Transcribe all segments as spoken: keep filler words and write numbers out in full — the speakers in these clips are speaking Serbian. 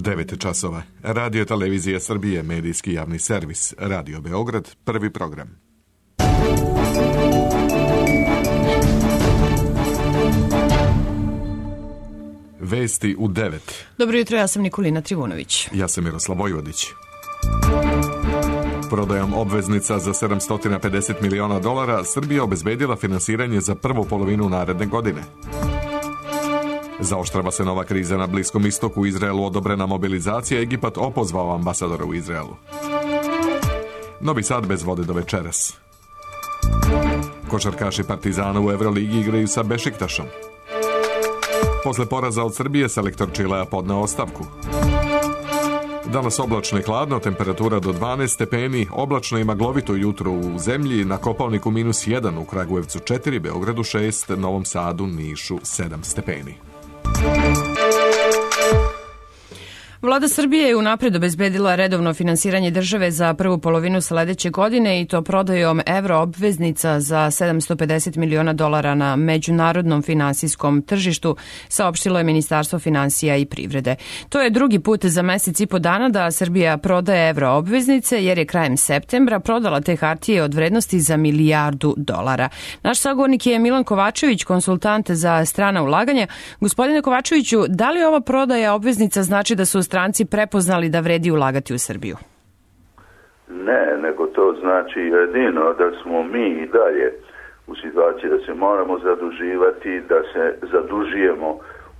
devet časova. Radio Televizija Srbije, medijski javni servis. Radio Beograd, prvi program. Vesti u devet. Dobro jutro, ja sam Nikolina Trivunović. Ja sam Miroslav Vojvodić. Prodajom obveznica za sedamsto pedeset miliona dolara Srbija obezbedila finansiranje za prvu polovinu naredne godine. Zaoštrava se nova kriza na Bliskom istoku, u Izraelu odobrena mobilizacija, Egipat opozvao ambasadora u Izraelu. Novi Sad bez vode do večeras. Košarkaši Partizana u Evroligi igraju sa Bešiktašom. Posle poraza od Srbije selektor Čilea podneo ostavku. Danas oblačno i hladno, temperatura do dvanaest stepeni, oblačno i maglovito jutro u zemlji, na Kopaoniku minus jedan, u Kragujevcu četiri, Beogradu šest, Novom Sadu, Nišu sedam stepeni. Vlada Srbije je unapred obezbedila redovno finansiranje države za prvu polovinu sledeće godine i to prodajom evro obveznica za sedamsto pedeset miliona dolara na međunarodnom finansijskom tržištu, saopštilo je Ministarstvo finansija i privrede. To je drugi put za mesec i po dana da Srbija prodaje evro obveznice, jer je krajem septembra prodala te hartije od vrednosti za milijardu dolara. Naš sagovornik je Milan Kovačević, konsultant za strana ulaganja. Gospodine Kovačeviću, da li ova prodaja obveznica znači da su stranci prepoznali da vredi ulagati u Srbiju? Ne, nego to znači jedino da smo mi i dalje u situaciji da se moramo zaduživati, da se zadužujemo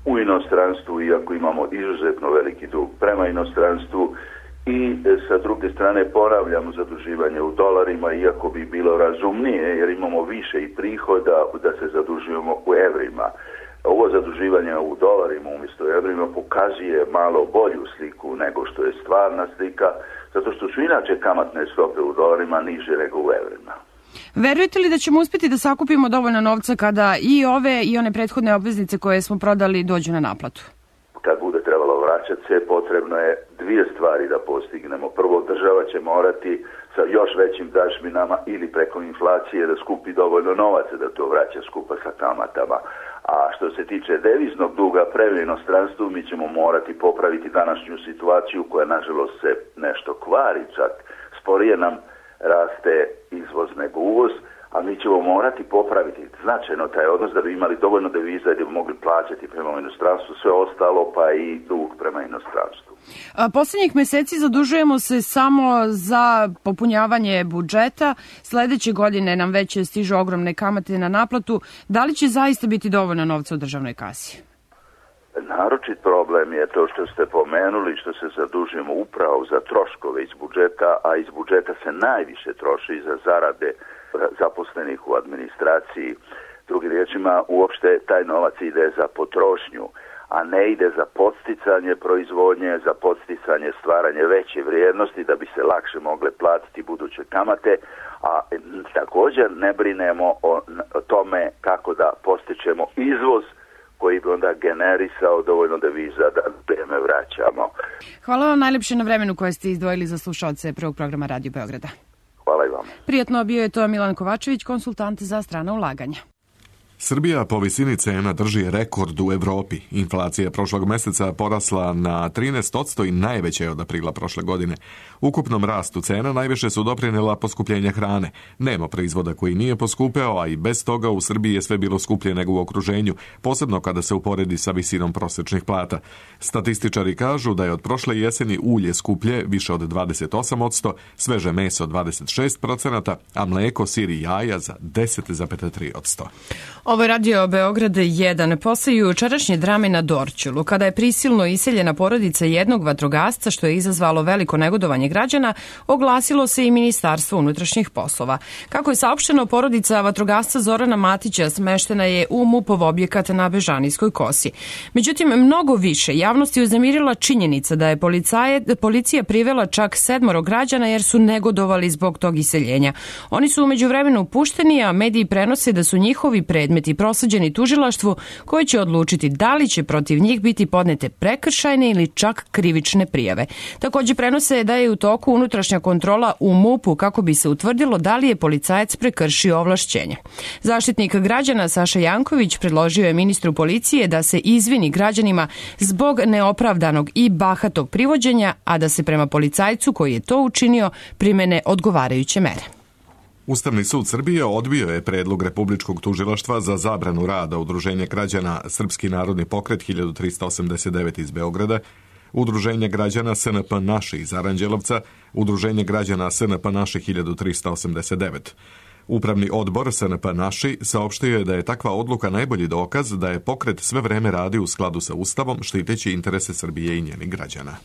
u inostranstvu, iako imamo izuzetno veliki dug prema inostranstvu, i sa druge strane ponavljamo zaduživanje u dolarima, iako bi bilo razumnije jer imamo više i prihoda da se zadužujemo u evrima. Ovo zaduživanje u dolarima umjesto evrima pokazuje malo bolju sliku nego što je stvarna slika, zato što su inače kamatne stope u dolarima niže nego u evrima. Verujete li da ćemo uspjeti da sakupimo dovoljno novca kada i ove i one prethodne obveznice koje smo prodali dođu na naplatu? Kad bude trebalo vraćati se, potrebno je dvije stvari da postignemo. Prvo, država će morati sa još većim dažbinama ili preko inflacije da skupi dovoljno novaca da to vraća skupa sa kamatama. A što se tiče deviznog duga prema inostranstvu, mi ćemo morati popraviti današnju situaciju koja nažalost se nešto kvari, čak sporije nam raste izvoz nego uvoz, a mi ćemo morati popraviti značajno taj odnos da bi imali dovoljno deviza i da bi mogli plaćati prema inostranstvu sve ostalo, pa i dug prema inostranstvu. A posljednjih meseci zadužujemo se samo za popunjavanje budžeta. Sledeće godine nam već stižu ogromne kamate na naplatu. Da li će zaista biti dovoljno novca u državnoj kasi? Naročit problem je to što ste pomenuli, što se zadužujemo upravo za troškove iz budžeta, a iz budžeta se najviše troši za zarade zaposlenih u administraciji. Drugim riječima, uopšte taj novac ide za potrošnju, a ne ide za podsticanje proizvodnje, za podsticanje stvaranje veće vrijednosti da bi se lakše mogle platiti buduće kamate, a također ne brinemo o tome kako da postičemo izvoz koji bi onda generisao dovoljno deviza da vrijeme vraćamo. Hvala vam najlepše na vremenu koje ste izdvojili za slušaoce prvog programa Radio Beograda. Hvala i vam. Prijatno, bio je to Milan Kovačević, konsultant za strana ulaganja. Srbija po visini cena drži rekord u Evropi. Inflacija je prošlog meseca porasla na trinaest posto i najveća je od aprila prošle godine. Ukupnom rastu cena najviše su doprinela poskupljenja hrane. Nema proizvoda koji nije poskupeo, a i bez toga u Srbiji je sve bilo skuplje nego u okruženju, posebno kada se uporedi sa visinom prosječnih plata. Statističari kažu da je od prošle jeseni ulje skuplje više od dvadeset osam posto, sveže meso dvadeset šest posto, a mleko, sir i jaja za deset zarez tri posto. Ovo je Radio Beograd jedan. Posle jučerašnje drame na Dorćolu, kada je prisilno iseljena porodica jednog vatrogasca, što je izazvalo veliko negodovanje građana, oglasilo se i Ministarstvo unutrašnjih poslova. Kako je saopšteno, porodica vatrogasca Zorana Matića smeštena je u MUP-ov objekat na Bežanijskoj kosi. Međutim, mnogo više javnost je uznemirila činjenica da je policaje, policija privela čak sedmoro građana jer su negodovali zbog tog iseljenja. Oni su umeđu vremenu pušteni, a mediji prenose da su njihovi predmeti predmeti prosleđeni tužilaštvu koje će odlučiti da li će protiv njih biti podnete prekršajne ili čak krivične prijave. Također prenose da je u toku unutrašnja kontrola u MUP-u kako bi se utvrdilo da li je policajac prekršio ovlašćenja. Zaštitnik građana Saša Janković predložio je ministru policije da se izvini građanima zbog neopravdanog i bahatog privođenja, a da se prema policajcu koji je to učinio primene odgovarajuće mere. Ustavni sud Srbije odbio je predlog Republičkog tužilaštva za zabranu rada Udruženja građana Srpski narodni pokret hiljadu trista osamdeset devet iz Beograda, Udruženja građana S N P Naši iz Aranđelovca, Udruženje građana S N P Naši hiljadu trista osamdeset devet. Upravni odbor S N P Naši saopštio je da je takva odluka najbolji dokaz da je pokret sve vreme radi u skladu sa Ustavom, štiteći interese Srbije i njenih građana.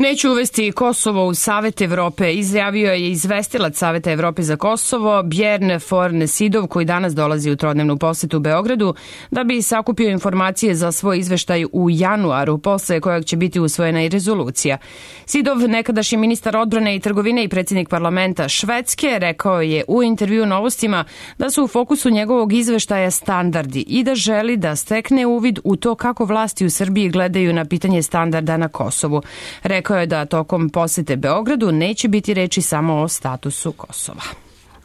Neću uvesti Kosovo u Savet Evrope, izjavio je izvestilac Saveta Evrope za Kosovo Bjorn Forn Sidov, koji danas dolazi u trodnevnu posetu u Beogradu, da bi sakupio informacije za svoj izveštaj u januaru, posle kojeg će biti usvojena i rezolucija. Sidov, nekadašnji ministar odbrane i trgovine i predsjednik parlamenta Švedske, rekao je u intervju Novostima da su u fokusu njegovog izveštaja standardi i da želi da stekne uvid u to kako vlasti u Srbiji gledaju na pitanje standarda na Kosovu. Rekao Rekao je da tokom posete Beogradu neće biti reči samo o statusu Kosova.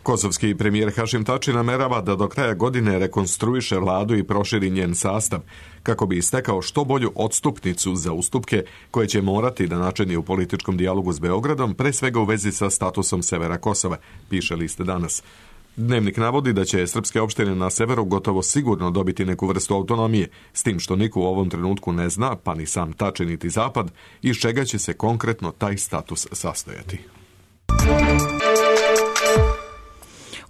Kosovski premijer Hašim Tači namerava da do kraja godine rekonstruiše vladu i proširi njen sastav, kako bi istekao što bolju odstupnicu za ustupke koje će morati da načini u političkom dijalogu s Beogradom, pre svega u vezi sa statusom severa Kosova, piše list Danas. Dnevnik navodi da će srpske opštine na severu gotovo sigurno dobiti neku vrstu autonomije, s tim što niko u ovom trenutku ne zna, pa ni sam Tači niti Zapad, iz čega će se konkretno taj status sastojati.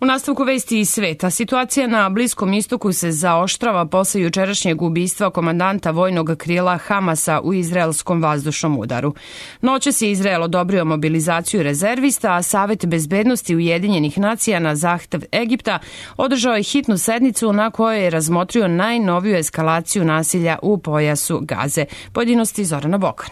U nastavku vesti iz sveta, situacija na Bliskom istoku se zaoštrava posle jučerašnjeg ubistva komandanta vojnog krila Hamasa u izraelskom vazdušnom udaru. Noćas je Izrael odobrio mobilizaciju rezervista, a Savet bezbednosti Ujedinjenih nacija na zahtev Egipta održao je hitnu sednicu na kojoj je razmotrio najnoviju eskalaciju nasilja u pojasu Gaze. Pojedinosti Zorana Bokan.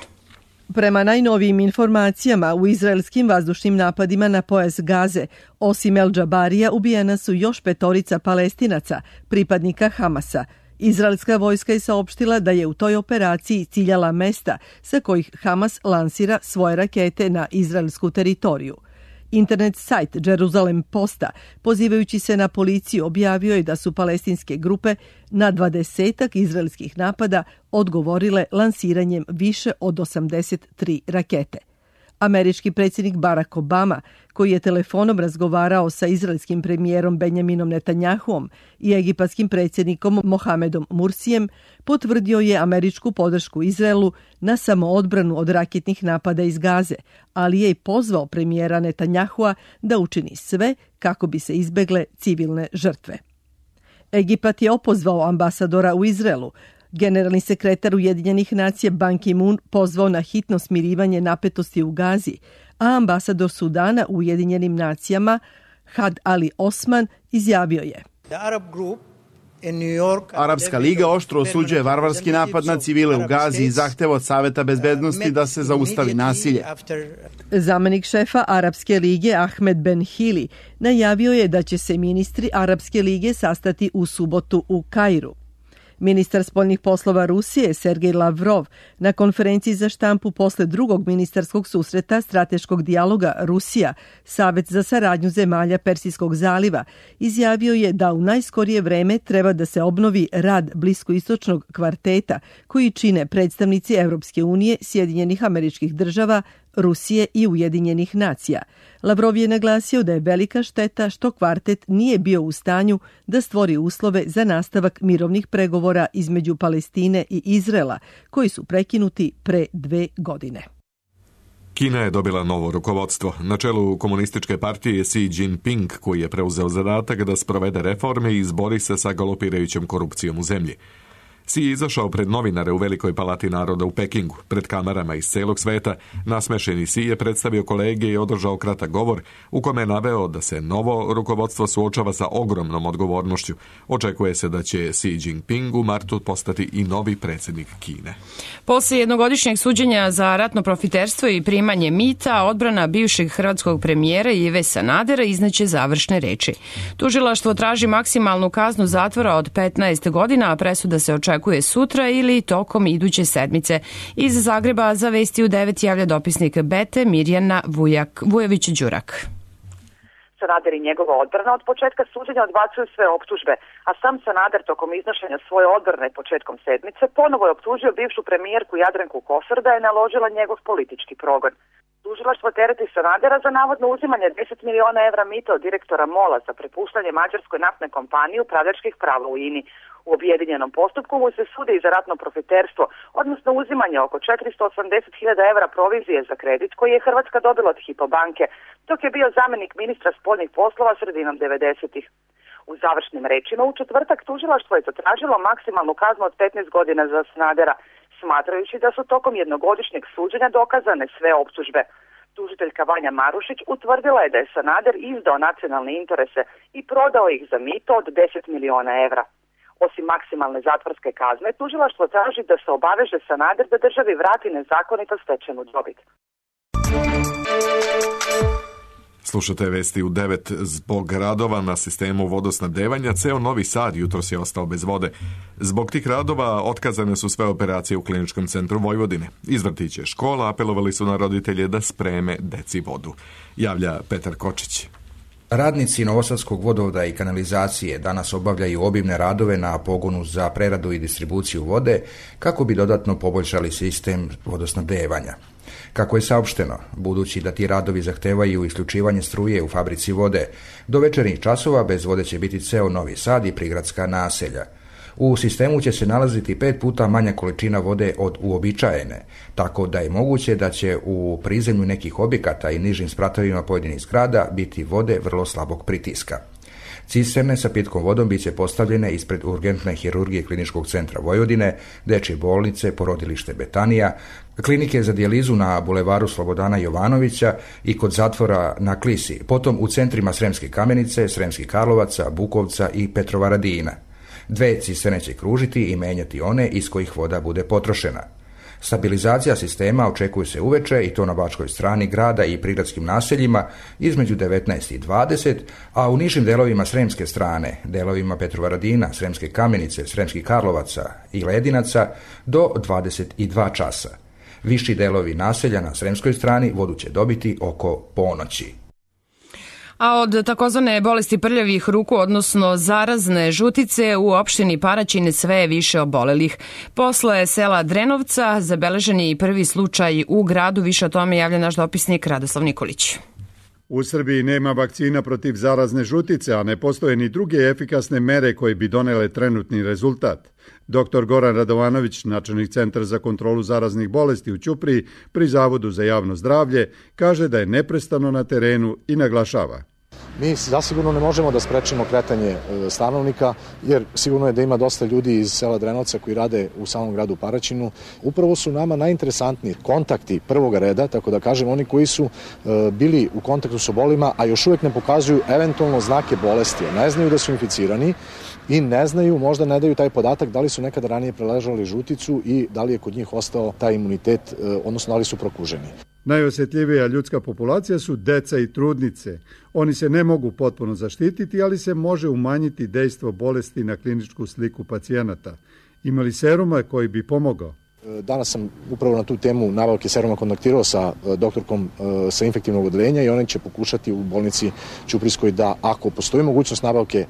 Prema najnovijim informacijama, u izraelskim vazdušnim napadima na pojas Gaze, osim El Džabarija, ubijena su još petorica Palestinaca, pripadnika Hamasa. Izraelska vojska je saopštila da je u toj operaciji ciljala mesta sa kojih Hamas lansira svoje rakete na izraelsku teritoriju. Internet sajt Jerusalem Posta, pozivajući se na policiju, objavio je da su palestinske grupe na dvadesetak izraelskih napada odgovorile lansiranjem više od osamdeset tri rakete. Američki predsjednik Barack Obama, koji je telefonom razgovarao sa izraelskim premijerom Benjaminom Netanjahuom i egipatskim predsjednikom Mohamedom Mursijem, potvrdio je američku podršku Izraelu na samoodbranu od raketnih napada iz Gaze, ali je i pozvao premijera Netanjahua da učini sve kako bi se izbegle civilne žrtve. Egipat je opozvao ambasadora u Izraelu. Generalni sekretar Ujedinjenih nacija Ban Ki-moon pozvao na hitno smirivanje napetosti u Gazi, a ambasador Sudana u Ujedinjenim nacijama Had Ali Osman izjavio je: Arapska liga oštro osuđuje varvarski napad na civile u Gazi i zahteva od Saveta bezbednosti da se zaustavi nasilje. Zamenik šefa Arapske lige Ahmed Ben Hili najavio je da će se ministri Arapske lige sastati u subotu u Kairu. Ministar spoljnih poslova Rusije Sergej Lavrov na konferenciji za štampu posle drugog ministarskog susreta strateškog dijaloga Rusija, Savet za saradnju zemalja Persijskog zaliva, izjavio je da u najskorije vreme treba da se obnovi rad bliskoistočnog kvarteta koji čine predstavnici Evropske unije, Sjedinjenih Američkih Država, Rusije i Ujedinjenih nacija. Lavrov je naglasio da je velika šteta što kvartet nije bio u stanju da stvori uslove za nastavak mirovnih pregovora između Palestine i Izraela, koji su prekinuti pre dve godine. Kina je dobila novo rukovodstvo. Na čelu komunističke partije Xi Jinping, koji je preuzeo zadatak da sprovede reforme i izbori se sa galopirajućom korupcijom u zemlji. Si je izašao pred novinare u Velikoj palati naroda u Pekingu. Pred kamerama iz celog sveta nasmešeni Si je predstavio kolege i održao kratak govor u kome je naveo da se novo rukovodstvo suočava sa ogromnom odgovornošću. Očekuje se da će Xi Jinping u martu postati i novi predsjednik Kine. Posle jednogodišnjeg suđenja za ratno profiterstvo i primanje mita, odbrana bivšeg hrvatskog premijera Ive Sanadera izneće završne reči. Tužilaštvo traži maksimalnu kaznu zatvora od petnaest godina, a presuda se očekuje sutra ili tokom iduće sedmice. Iz Zagreba za Vesti u devet javlja dopisnik Bete Mirjana Vujak, Vujović-Đurak. Sanader i njegova odbrana od početka suđenja odbacuju sve optužbe, a sam Sanader tokom iznošenja svoje odbrane početkom sedmice ponovo je optužio bivšu premijerku Jadranku Kosor da je naložila njegov politički progon. Tužilaštvo tereti Sanadera za navodno uzimanje deset miliona evra mita od direktora MOL-a za prepuštanje mađarskoj naftnoj kompaniji upravljačkih prava u I N I. U objedinjenom postupku mu se sudi i za ratno profiterstvo, odnosno uzimanje oko četiristo osamdeset hiljada evra provizije za kredit koji je Hrvatska dobila od Hypo banke, dok je bio zamjenik ministra spoljnih poslova sredinom devedesetih. U završnim rečima u četvrtak tužilaštvo je zatražilo maksimalnu kaznu od petnaest godina za Sanadera, smatrajući da su tokom jednogodišnjeg suđenja dokazane sve optužbe. Tužiteljka Vanja Marušić utvrdila je da je Sanader izdao nacionalne interese i prodao ih za mito od deset miliona evra. Osim maksimalne zatvorske kazne, tužilaštvo traži da se obaveže Sanader da državi vrati nezakonito stečenu dobit. Slušate Vesti u devet. Zbog radova na sistemu vodosnabdevanja, ceo Novi Sad jutros je ostao bez vode. Zbog tih radova otkazane su sve operacije u Kliničkom centru Vojvodine. Iz vrtića škola apelovali su na roditelje da spreme deci vodu. Javlja Petar Kočić. Radnici Novosadskog vodovoda i kanalizacije danas obavljaju obimne radove na pogonu za preradu i distribuciju vode kako bi dodatno poboljšali sistem vodosnabdevanja. Kako je saopšteno, budući da ti radovi zahtevaju isključivanje struje u fabrici vode, do večernjih časova bez vode će biti ceo Novi Sad i prigradska naselja. U sistemu će se nalaziti pet puta manja količina vode od uobičajene, tako da je moguće da će u prizemlju nekih objekata i nižim spratovima pojedinih zgrada biti vode vrlo slabog pritiska. Cisterne sa pitkom vodom bit će postavljene ispred urgentne hirurgije Kliničkog centra Vojvodine, dečje bolnice, porodilište Betanija, klinike za dijalizu na bulevaru Slobodana Jovanovića i kod zatvora na Klisi, potom u centrima Sremske Kamenice, Sremskih Karlovaca, Bukovca i Petrovaradina. Dve cisterne će kružiti i menjati one iz kojih voda bude potrošena. Stabilizacija sistema očekuje se uveče i to na bačkoj strani grada i prigradskim naseljima između devetnaest i dvadeset, a u nižim delovima Sremske strane, delovima Petrovaradina, Sremske Kamenice, Sremskih Karlovaca i Ledinaca do dvadeset dva časa. Viši delovi naselja na Sremskoj strani vodu će dobiti oko ponoći. A od takozvane bolesti prljavih ruku, odnosno zarazne žutice, u opštini Paraćin sve je više obolelih. Posle sela Drenovca zabeležen je i prvi slučaj u gradu. Više o tome javlja naš dopisnik Radoslav Nikolić. U Srbiji nema vakcina protiv zarazne žutice, a ne postoje ni druge efikasne mere koje bi donele trenutni rezultat. Doktor Goran Radovanović, načelnik Centra za kontrolu zaraznih bolesti u Ćupriji pri Zavodu za javno zdravlje, kaže da je neprestano na terenu i naglašava: Mi zasigurno ne možemo da sprečimo kretanje stanovnika, jer sigurno je da ima dosta ljudi iz sela Drenovca koji rade u samom gradu Paraćinu. Upravo su nama najinteresantniji kontakti prvoga reda, tako da kažem, oni koji su bili u kontaktu s obolima, a još uvijek ne pokazuju eventualno znake bolesti, ne znaju da su inficirani i ne znaju, možda ne daju taj podatak da li su nekada ranije preležali žuticu i da li je kod njih ostao taj imunitet, odnosno da li su prokuženi. Najosjetljivija ljudska populacija su deca i trudnice. Oni se ne mogu potpuno zaštititi, ali se može umanjiti dejstvo bolesti na kliničku sliku pacijenata. Ima li seruma koji bi pomogao? Danas sam upravo na tu temu nabavke seruma kontaktirao sa doktorkom sa infektivnog odeljenja i oni će pokušati u bolnici Ćuprijskoj da, ako postoji mogućnost nabavke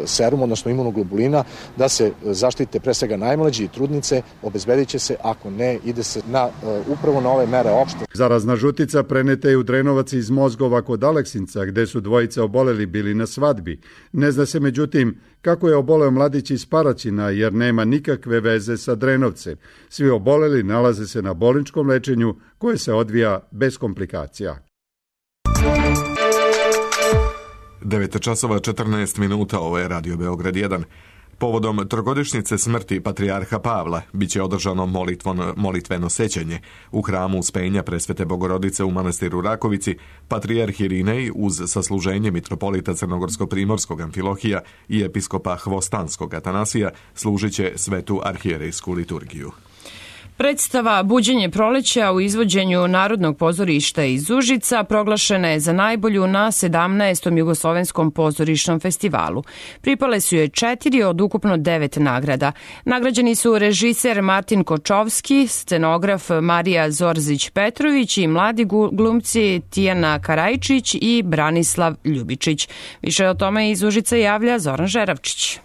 seruma, odnosno imunoglobulina, da se zaštite pre svega najmlađi i trudnice, obezbedit će se, ako ne, ide se na, upravo na ove mere opšte. Zarazna žutica preneta je u Drenovac iz Mozgova kod Aleksinca, gde su dvojice oboleli bili na svadbi. Ne zna se međutim kako je oboleo mladić iz Paraćina, jer nema nikakve veze sa Drenovcem. Svi oboleli nalaze se na bolničkom lečenju koje se odvija bez komplikacija. devet časova četrnaest minuta, ovo je Radio Beograd jedan. Povodom trogodišnjice smrti patrijarha Pavla biće održano molitveno, molitveno sećanje u hramu Uspenja Presvete Bogorodice u manastiru Rakovici. Patrijarh Irinej uz sasluženje mitropolita Crnogorsko-primorskog Amfilohija i episkopa Hvostanskog Atanasija služit će svetu arhijerejsku liturgiju. Predstava Buđenje proleća u izvođenju Narodnog pozorišta iz Užica proglašena je za najbolju na sedamnaestom Jugoslovenskom pozorišnom festivalu. Pripale su joj četiri od ukupno devet nagrada. Nagrađeni su režiser Martin Kočovski, scenograf Marija Zorzić-Petrović i mladi glumci Tijana Karajčić i Branislav Ljubičić. Više o tome iz Užica javlja Zoran Žeravčić.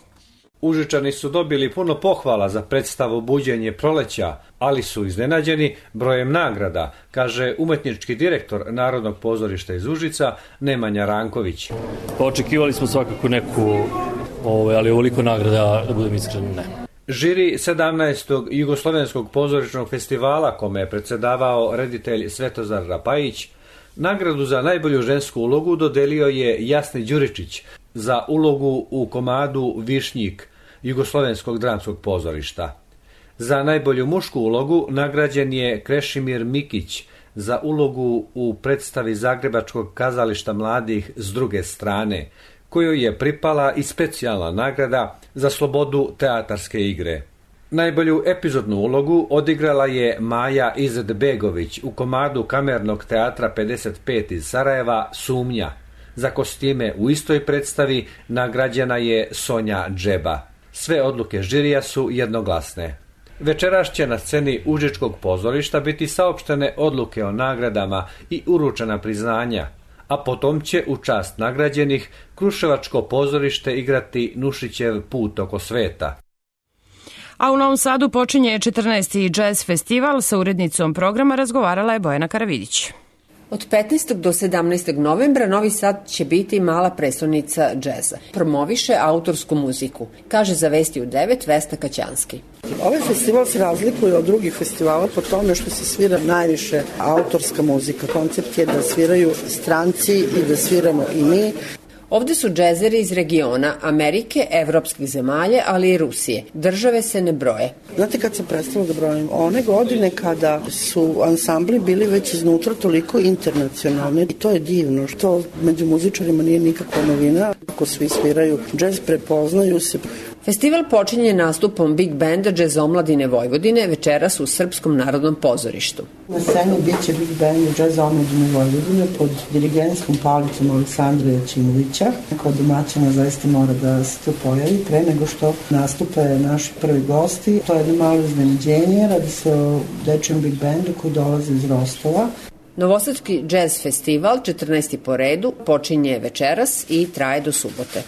Užičani su dobili puno pohvala za predstavu Buđenje proleća, ali su iznenađeni brojem nagrada, kaže umetnički direktor Narodnog pozorišta iz Užica Nemanja Ranković. Očekivali smo svakako neku, ovaj, ali ovoliko nagrada, da budem iskren, ne. Žiri sedamnaestog Jugoslovenskog pozorišnog festivala, kome je predsjedavao reditelj Svetozar Rapajić, nagradu za najbolju žensku ulogu dodelio je Jasni Đuričić za ulogu u komadu Višnjik Jugoslovenskog dramskog pozorišta. Za najbolju mušku ulogu nagrađen je Krešimir Mikić za ulogu u predstavi Zagrebačkog kazališta mladih S druge strane, kojoj je pripala i specijalna nagrada za slobodu teatarske igre. Najbolju epizodnu ulogu odigrala je Maja Izetbegović u komadu Kamernog teatra pedeset pet iz Sarajeva Sumnja. Za kostime u istoj predstavi nagrađena je Sonja Džeba. Sve odluke žirija su jednoglasne. Večeras će na sceni Užičkog pozorišta biti saopštene odluke o nagradama i uručena priznanja, a potom će u čast nagrađenih Kruševačko pozorište igrati Nušićev Put oko sveta. A u Novom Sadu počinje četrnaesti Jazz festival. Sa urednicom programa razgovarala je Bojana Karavidić. Od petnaestog do sedamnaestog novembra Novi Sad će biti mala prestonica džeza. Promoviše autorsku muziku, kaže za Vesti u devet Vesna Kaćanski. Ovaj festival se razlikuje od drugih festivala po tome što se svira najviše autorska muzika. Koncept je da sviraju stranci i da sviramo i mi. Ovde su džezeri iz regiona, Amerike, evropskih zemalja, ali i Rusije. Države se ne broje. Znate kad sam prestala da brojim? One godine kada su ansambli bili već iznutra toliko internacionalni. I to je divno, što među muzičarima nije nikakva novina. Ako svi sviraju džez, prepoznaju se. Festival počinje nastupom Big Banda Džez omladine Vojvodine večeras u Srpskom narodnom pozorištu. Na sceni bit će Big Band Džez omladine Vojvodine pod dirigentskom palicom Aleksandra Jačimovića. Kao domaćina zaista mora da se to pojavi pre nego što nastupe naši prvi gosti. To je jedno malo iznenađenje, radi se o dečijem Big Bandu koji dolaze iz Rostova. Novosadski džez festival, četrnaesti po redu, počinje večeras i traje do subote.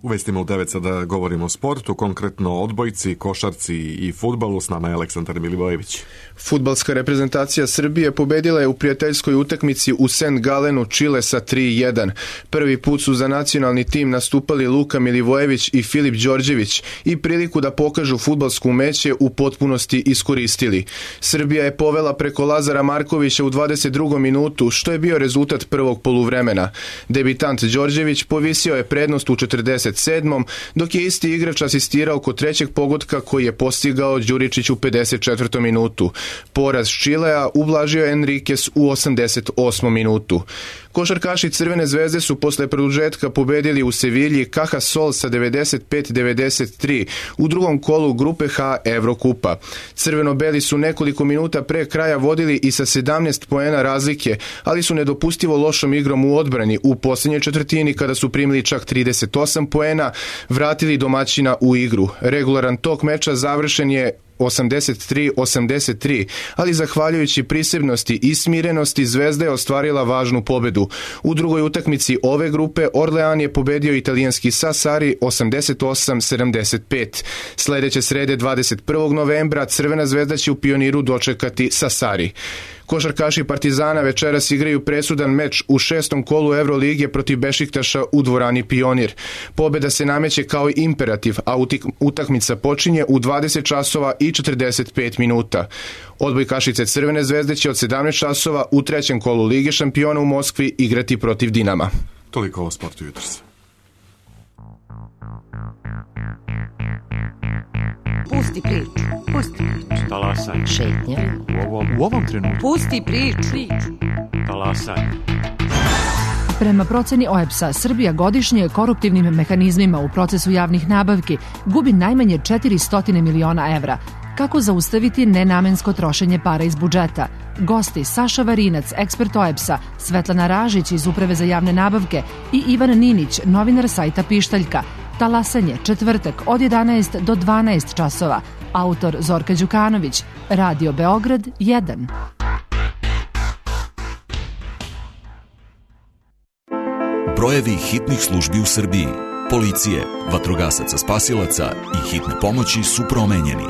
U vestima u devet sada govorimo o sportu, konkretno o odbojci, košarci i fudbalu. S nama je Aleksandar Milivojević. Fudbalska reprezentacija Srbije pobedila je u prijateljskoj utakmici u Saint Galenu Čile sa tri jedan. Prvi put su za nacionalni tim nastupali Luka Milivojević i Filip Đorđević i priliku da pokažu fudbalsku umeće u potpunosti iskoristili. Srbija je povela preko Lazara Markovića u dvadeset drugom minutu, što je bio rezultat prvog poluvremena. Debitant Đorđević povisio je prednost u četrdeset sedmom dok je isti igrač asistirao kod trećeg pogotka koji je postigao Đuričić u pedeset četvrtom minutu. Poraz Čilea ublažio Enriquez u osamdeset osmom minutu. Košarkaši Crvene zvezde su posle produžetka pobedili u Sevilji Caja Sol sa devedeset pet devedeset tri u drugom kolu grupe H Evrokupa. Crveno-beli su nekoliko minuta pre kraja vodili i sa sedamnaest poena razlike, ali su nedopustivo lošom igrom u odbrani u posljednjoj četvrtini kada su primili čak trideset osam poena, vratili domaćina u igru. Regularan tok meča završen je osamdeset tri osamdeset tri, ali zahvaljujući prisebnosti i smirenosti Zvezda je ostvarila važnu pobedu. U drugoj utakmici ove grupe Orlean je pobedio italijanski Sassari osamdeset osam sedamdeset pet. Sledeće srede dvadeset prvog novembra Crvena zvezda će u Pioniru dočekati Sassari. Košarkaši Partizana večeras igraju presudan meč u šestom kolu Evrolige protiv Bešiktaša u dvorani Pionir. Pobeda se nameće kao imperativ, a utakmica počinje u dvadeset časova i četrdeset pet minuta. Odbojkašice Crvene zvezde će od sedamnaest časova u trećem kolu Lige šampiona u Moskvi igrati protiv Dinama. Toliko o sportu jutros. Pusti priču, pusti priču. Talasaj. Šetnja. U ovom, u ovom trenutku. Pusti priču. Talasaj. Prema proceni O E B S-a, Srbija godišnje koruptivnim mehanizmima u procesu javnih nabavki gubi najmanje četiristo miliona evra. Kako zaustaviti nenamensko trošenje para iz budžeta? Gosti Saša Varinac, ekspert O E B S-a, Svetlana Ražić iz Uprave za javne nabavke i Ivan Ninić, novinar sajta Pištaljka. Talasanje, četvrtak od jedanaest do dvanaest časova. Autor Zorka Đukanović. Radio Beograd jedan. Brojevi hitnih službi u Srbiji, policije, vatrogasaca spasilaca i hitne pomoći su promenjeni.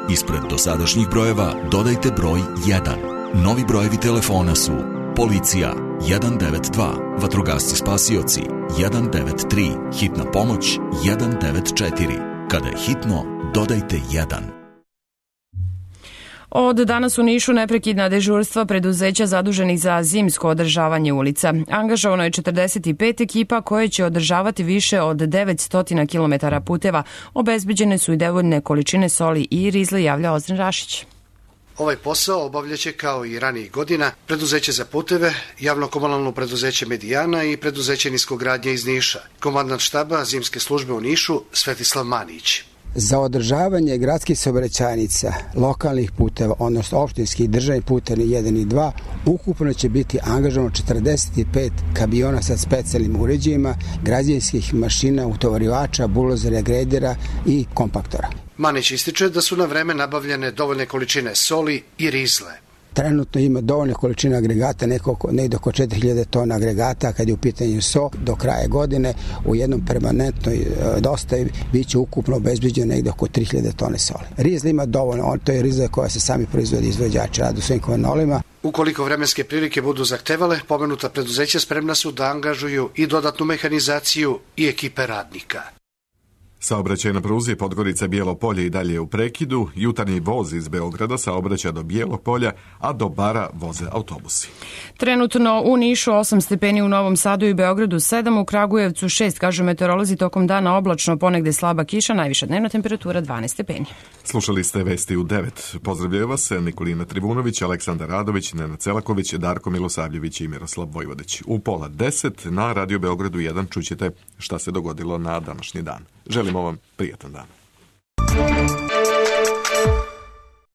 Ispred dosadašnjih brojeva dodajte broj jedan. Novi brojevi telefona su policija jedan devet dva, vatrogasci spasioci jedan devet tri, hitna pomoć jedan devet četiri. Kada je hitno, dodajte jedan. Od danas u Nišu neprekidna dežurstva preduzeća zaduženih za zimsko održavanje ulica. Angažovano je četrdeset pet ekipa koje će održavati više od devetsto kilometara puteva. Obezbeđene su i dovoljne količine soli i rizle, javlja Ozren Rašić. Ovaj posao obavljaće kao i ranijih godina preduzeće za puteve, javno-komunalno preduzeće Medijana i preduzeće niskogradnje iz Niša. Komandant štaba zimske službe u Nišu Svetislav Manić. Za održavanje gradskih saobraćajnica, lokalnih puteva, odnosno opštinskih državnih puteva jedan i dva, ukupno će biti angažovano četrdeset pet kamiona sa specijalnim uređajima, građevinskih mašina, utovarivača, bulozera, gredera i kompaktora. Manić ističe da su na vreme nabavljene dovoljne količine soli i rizle. Trenutno ima dovoljne količine agregata, negdje oko četiri hiljade tona agregata kad je u pitanju so. Do kraja godine u jednom permanentnoj dostavi bit će ukupno obezbeđeno negdje oko tri hiljade tone soli. Rizla ima dovoljno, to je rizla koja se sami proizvodi izvođači radu svojim kovanolima. Ukoliko vremenske prilike budu zahtevale, pomenuta preduzeća spremna su da angažuju i dodatnu mehanizaciju i ekipe radnika. Saobraćaj na pruzi Podgorica Bijelo Polje i dalje u prekidu. Jutarnji voz iz Beograda saobraća do Bijelog Polja, a do Bara voze autobusi. Trenutno u Nišu osam stepeni, u Novom Sadu i Beogradu sedam, u Kragujevcu šest, kažu meteorolozi, tokom dana oblačno, ponegde slaba kiša, najviša dnevna temperatura dvanaest stepeni. Slušali ste vesti u devet. Pozdravljaju vas Nikolina Trivunović, Aleksandar Radović, Nenad Celaković, Darko Milosavljević i Miroslav Vojvodić. U pola deset na Radio Beogradu jedan čućete šta se dogodilo na današnji dan. Želimo vam prijatan dan.